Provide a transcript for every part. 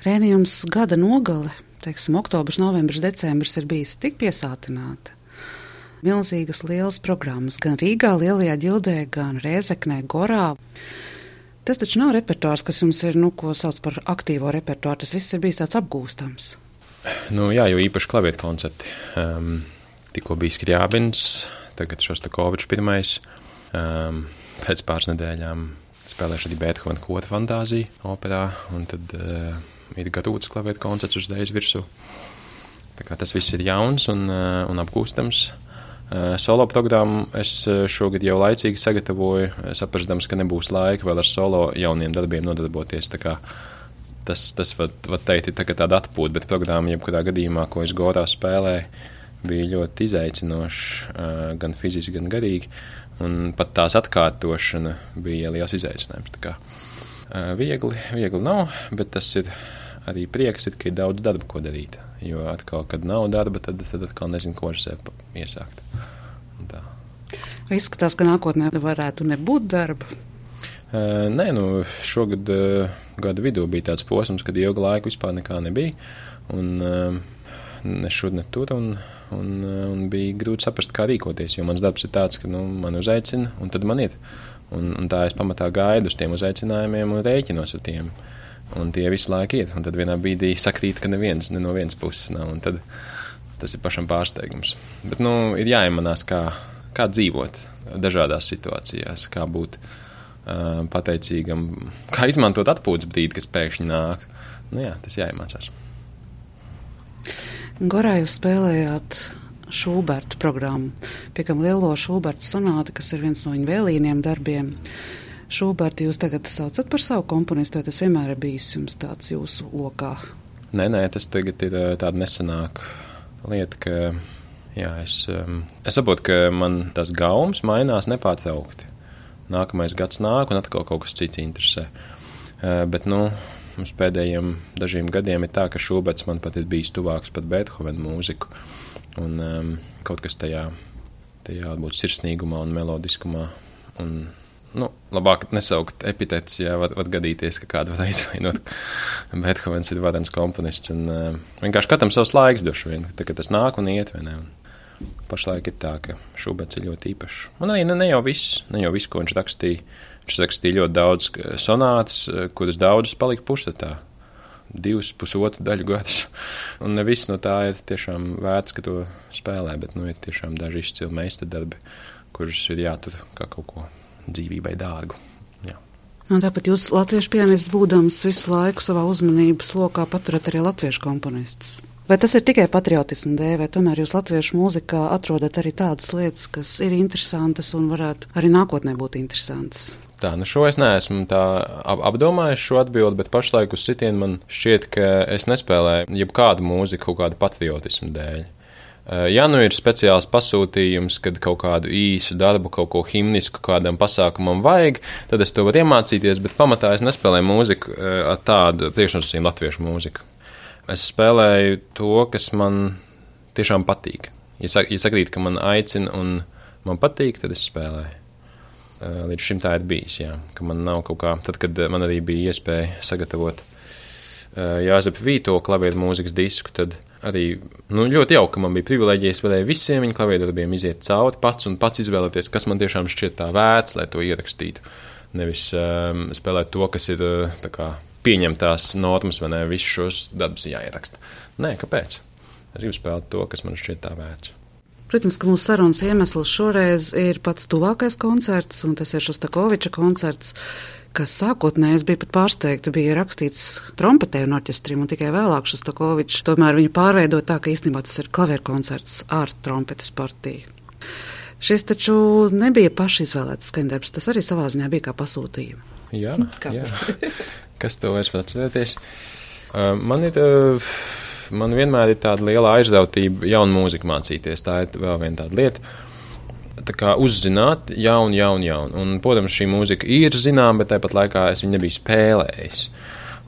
Rēni, jums gada nogale, teiksim, oktobrs, novembris, decembris ir bijis tik piesātināta. Milzīgas lielas programmas gan Rīgā, Lielajā Ģildē, gan Rēzeknē, Gorā. Tas taču nav repertuārs, kas jums ir, ko sauc par aktīvo repertuāru. Tas viss ir bijis tāds apgūstams. Jā, jo īpaši klavieru koncerti. Tikko bija Skriabins, tagad Šostakovičs pirmais. Pēc pāris nedēļām spēlēšu arī Beethovena Kota fantāziju operā, un tad ir gatavots klavieru koncerts uz dēļas virsū. Tā kā tas viss ir jauns un apgūstams. Solo programmu es šogad jau laicīgi sagatavoju, saprastams, ka nebūs laika vēl ar solo jauniem darbiem nodarboties. Tā kā tas var teikt, ir tāda atpūta, bet programma, jebkurā gadījumā, ko es Gorā spēlēju, bija ļoti izaicinoša, gan fiziski, gan garīgi, un pat tās atkārtošana bija liels izaicinājums. Tā kā viegli nav, bet tas ir arī prieks, ka ir daudz darba, ko darīt. Jo atkal, kad nav darba, tad atkal nezinu, ko ar sevi iesākt. Izskatās, ka nākotnē varētu nebūt darba? Nē, šogad gada vidū bija tāds posms, kad ilgu laiku vispār nekā nebija. Un ne šur, ne tur, un bija grūti saprast, kā rīkoties, jo mans darbs ir tāds, ka man uzaicina, un tad man ir. Un tā es pamatā gaidu uz tiem uzaicinājumiem un rēķinos ar tiem. Un tie visu laiku ir, un tad vienā brīdī sakrīt, ka ne no vienas puses nav, un tad tas ir pašam pārsteigums. Bet, ir jāiemanās, kā dzīvot dažādās situācijās, kā būt pateicīgam, kā izmantot atpūtas brīdi, kas pēkšņi nāk. Tas jāiemācās. Gorā jūs spēlējāt Šūberta programmu, piekam lielo Šūberta sonāti, kas ir viens no viņa vēlīniem darbiem. Šūbertu jūs tagad saucat par savu komponistu, vai tas vienmēr ir bijis jums tāds jūsu lokā? Nē, tas tagad ir tāda nesenāka lieta, ka es saprotu, ka man tas gaums mainās nepārtraukti. Nākamais gads nāk un atkal kaut kas cits interesē. Bet, mums pēdējiem dažiem gadiem ir tā, ka Šūberts man pat ir bijis tuvāks pat Beethovena mūziku. Un kaut kas tajā būt sirsnīgumā un melodiskumā un labāk nesaukt epitetus, ja var gadīties, ka kādu var aizvainot. Beethovens ir varens komponists, un vienkārši katram savs laiks došu vien, tā, ka tas nāk un iet, vai ne? Un pašlaik ir tā, ka Šūberts ir ļoti īpašs. Un arī ne jau viss, ko viņš rakstīja. Viņš rakstīja ļoti daudz sonātas, kuras daudzas palika puštatā. 2,5 daļu gadas. Un ne viss no tā ir tiešām vērts, ka to spēlē, bet ir tiešām daži izcili meistardarbi, kurus ir jātur kā kaut ko dzīvībai dārgu. Jā. Tāpat jūs latviešu pianists būdams visu laiku savā uzmanības lokā paturat arī latviešu komponistus. Vai tas ir tikai patriotismu dēļ, vai tomēr jūs latviešu mūzikā atrodat arī tādas lietas, kas ir interesantas un varētu arī nākotnē būt interesantas? Tā, šo es neesmu tā apdomājis šo atbildi, bet pašlaik uz sitienu man šķiet, ka es nespēlēju jebkādu mūziku kaut kādu patriotismu dēļ. Ja ir speciāls pasūtījums, kad kaut kādu īsu darbu, kaut ko himnisku kādam pasākumam vajag, tad es to varu iemācīties, bet pamatā es nespēlēju mūziku ar tādu priekšnosacījumu latviešu mūziku. Es spēlēju to, kas man tiešām patīk. Ja sakrīt, ka man aicina un man patīk, tad es spēlēju. Līdz šim tā ir bijis, jā, ka man nav kaut kā, tad, kad man arī bija iespēja sagatavot Jāzepa Vīto klavieru mūzikas disku, tad arī ļoti jauki, ka man bija privileģija, es varēju visiem viņa klavieru darbiem iziet cauri pats un pats izvēlēties, kas man tiešām šķiet tā vērts, lai to ierakstītu. Nevis spēlēt to, kas ir tā kā pieņemtās normas, vai ne, visus šos darbus jāieraksta. Nē, kāpēc? Es gribu spēlēt to, kas man šķiet tā vērts. Protams, ka mūsu sarunas iemesls šoreiz ir pats tuvākais koncerts, un tas ir Šostakoviča koncerts, kas sākotnēji bija pat pārsteigta, bija rakstīts trompetē un orķestrim, un tikai vēlāk Šostakovičs tomēr viņu pārveidot tā, ka īstenībā tas ir klavierkoncerts ar trompetes partiju. Šis taču nebija pašizvēlēts skaņdarbs, tas arī savā ziņā bija kā pasūtījuma. Jā. Kas to vairs var atcerēties? Man vienmēr ir tāda liela aizrautība jaunu mūziku mācīties. Tā ir vēl viena tāda lieta. Tā kā uzzināt jaunu. Un, protams, šī mūzika ir zināma, bet tāpat laikā es viņu nebiju spēlējis.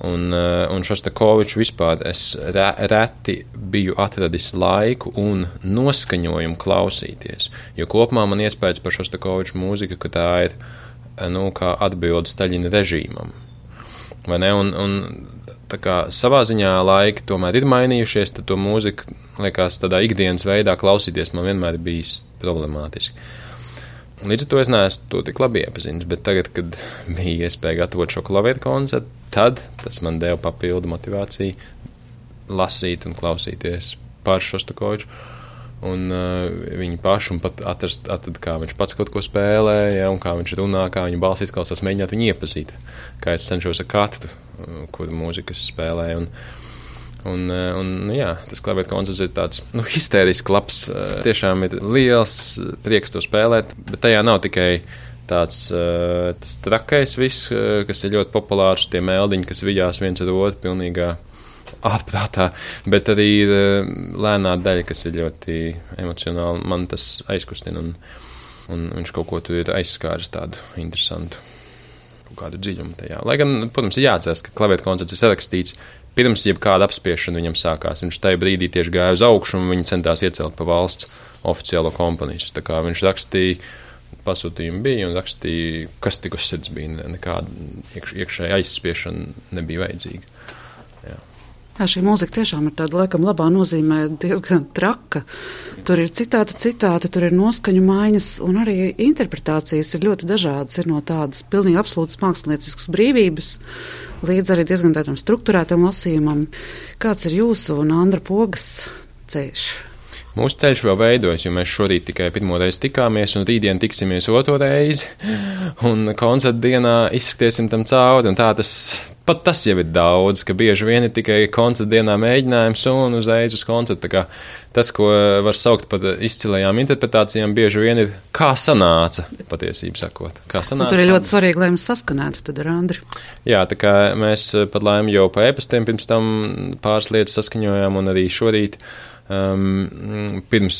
Un Šostakoviču vispār es reti biju atradis laiku un noskaņojumu klausīties. Jo kopumā man iespējas par Šostakoviču mūziku, ka tā ir kā atbilde Staļina režīmam. Vai ne? Un tā kā savā ziņā laiki tomēr ir mainījušies, tad to mūziku, liekas, tādā ikdienas veidā klausīties man vienmēr ir bijis problemātiski. Līdz ar to es neesmu to tik labi iepazinis, bet tagad, kad bija iespēja gatavot šo klavieru koncertu, tad tas man deva papildu motivāciju lasīt un klausīties par Šostakoviču. Un viņi paši, un pat atrast, kā viņš pats kaut ko spēlē, ja, un kā viņš runā, kā viņa balss izklausās, mēģināt viņu iepazīt, kā es cenšos ar katru, kur mūzikas spēlē. Un jā, tas klavieru koncerts ir tāds, histēriski labs, tiešām ir liels prieks to spēlēt, bet tajā nav tikai tāds tas trakais viss, kas ir ļoti populārs, tie meldiņi, kas vijās viens ar otru pilnīgā ārprātā, bet arī ir lēnā daļa, kas ir ļoti emocionāli. Man tas aizkustina, un viņš kaut ko tur ir aizskāris tādu interesantu, kaut kādu dziļumu tajā. Lai gan, protams, ir jāatcerās, ka klavieru koncerts ir sarakstīts pirms jebkāda apspiešana viņam sākās. Viņš tajā brīdī tieši gāja uz augšu, un viņi centās iecelt pa valsts oficiālo komponistu. Tā kā viņš rakstīja, pasūtījumi bija, un rakstīja, kas tik uz sirds bija. Nekāda iekšēja aizspiešana nebija vajadzīga. Jā, šī mūzika tiešām ir tāda, laikam, labā nozīmē diezgan traka. Tur ir citāti, tur ir noskaņu maiņas, un arī interpretācijas ir ļoti dažādas. Ir no tādas pilnīgi absolūtas mākslinieciskas brīvības līdz arī diezgan tādam strukturētam lasījumam. Kāds ir jūsu un Andra Pogas ceļš? Mūsu ceļš vēl veidojas, jo mēs šorīt tikai pirmo reizi tikāmies, un rītdien tiksimies otro reizi, un koncerta dienā izskatiesim tam cauri, un tā pat tas jau ir daudz, ka bieži vien ir tikai koncerta dienā mēģinājums un uzreiz uz koncertu. Tā kā tas, ko var saukt par izcilajām interpretācijām, bieži vien ir kā sanāca, patiesību sakot. Tur ir ļoti svarīgi, lai mēs saskanētu tad ar Andri. Jā, tā kā mēs pat laimi jau pa e-pastiem pirms tam pāris lietas saskaņojām, un arī šorīt pirms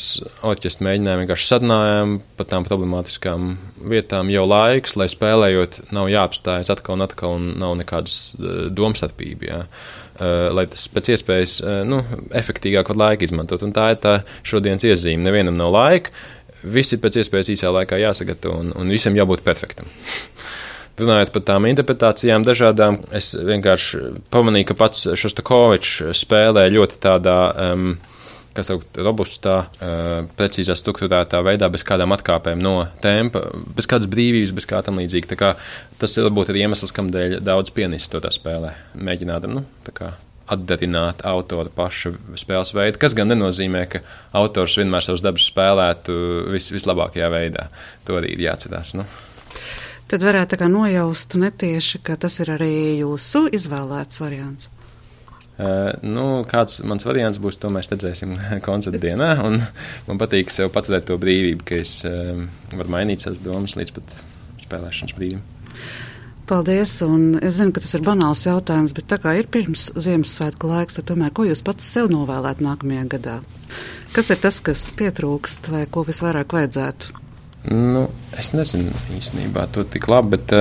orķestra mēģinājām vienkārši sadinājām par tām problemātiskām vietām jau laiks, lai spēlējot nav jāapstājas atkal un atkal un nav nekādas domstarpība, jā. Lai tas pēc iespējas efektīgāk var laika izmantot. Un tā ir tā šodienas iezīme. Nevienam nav laika, visi pēc iespējas īsā laikā jāsagatavo un visam jābūt perfektam. Runājot par tām interpretācijām dažādām, es vienkārši pamanīju, ka pats Šostakovičs spēlē ļoti tādā robustā, precīzā strukturētā veidā, bez kādām atkāpēm no tempa, bez kādas brīvības, bez kā tam līdzīgi. Tā kā tas ir varbūt arī iemesls, kamdēļ daudz pianisti to tā spēlē. Mēģināt, atdarināt autora paša spēles veidu, kas gan nenozīmē, ka autors vienmēr savus darbus spēlētu vislabākajā veidā. To arī ir jāatcerās, Tad varētu tā kā nojaust netieši, ka tas ir arī jūsu izvēlēts variants. Kāds mans variants būs, to mēs redzēsim koncerta dienā, un man patīk sev paturēt to brīvību, ka es varu mainīt savas domas līdz pat spēlēšanas brīdim. Paldies, un es zinu, ka tas ir banāls jautājums, bet tā kā ir pirms Ziemassvētku laiks, tad tomēr, ko jūs pats sev novēlēt nākamajā gadā? Kas ir tas, kas pietrūkst, vai ko visvairāk vajadzētu? Es nezinu īstenībā to tik labi, bet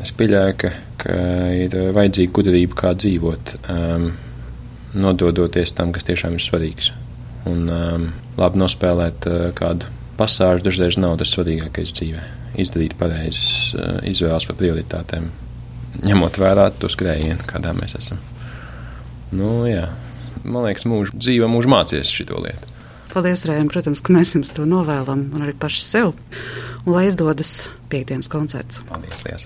es pieļauju, ka ir vajadzīga gudrība, kā dzīvot, nododoties tam, kas tiešām ir svarīgs. Un labi nospēlēt kādu pasāžu dažreiz nav tas svarīgākais dzīvē. Izdarīt pareizes izvēles par prioritātēm, ņemot vērā to skrējienu, kādā mēs esam. Jā. Man liekas, dzīve mūžu mācies šito lietu. Paldies, Rējam, protams, ka mēs jums to novēlam, un arī paši sev. Un lai izdodas 5. koncerts. Paldies, liels.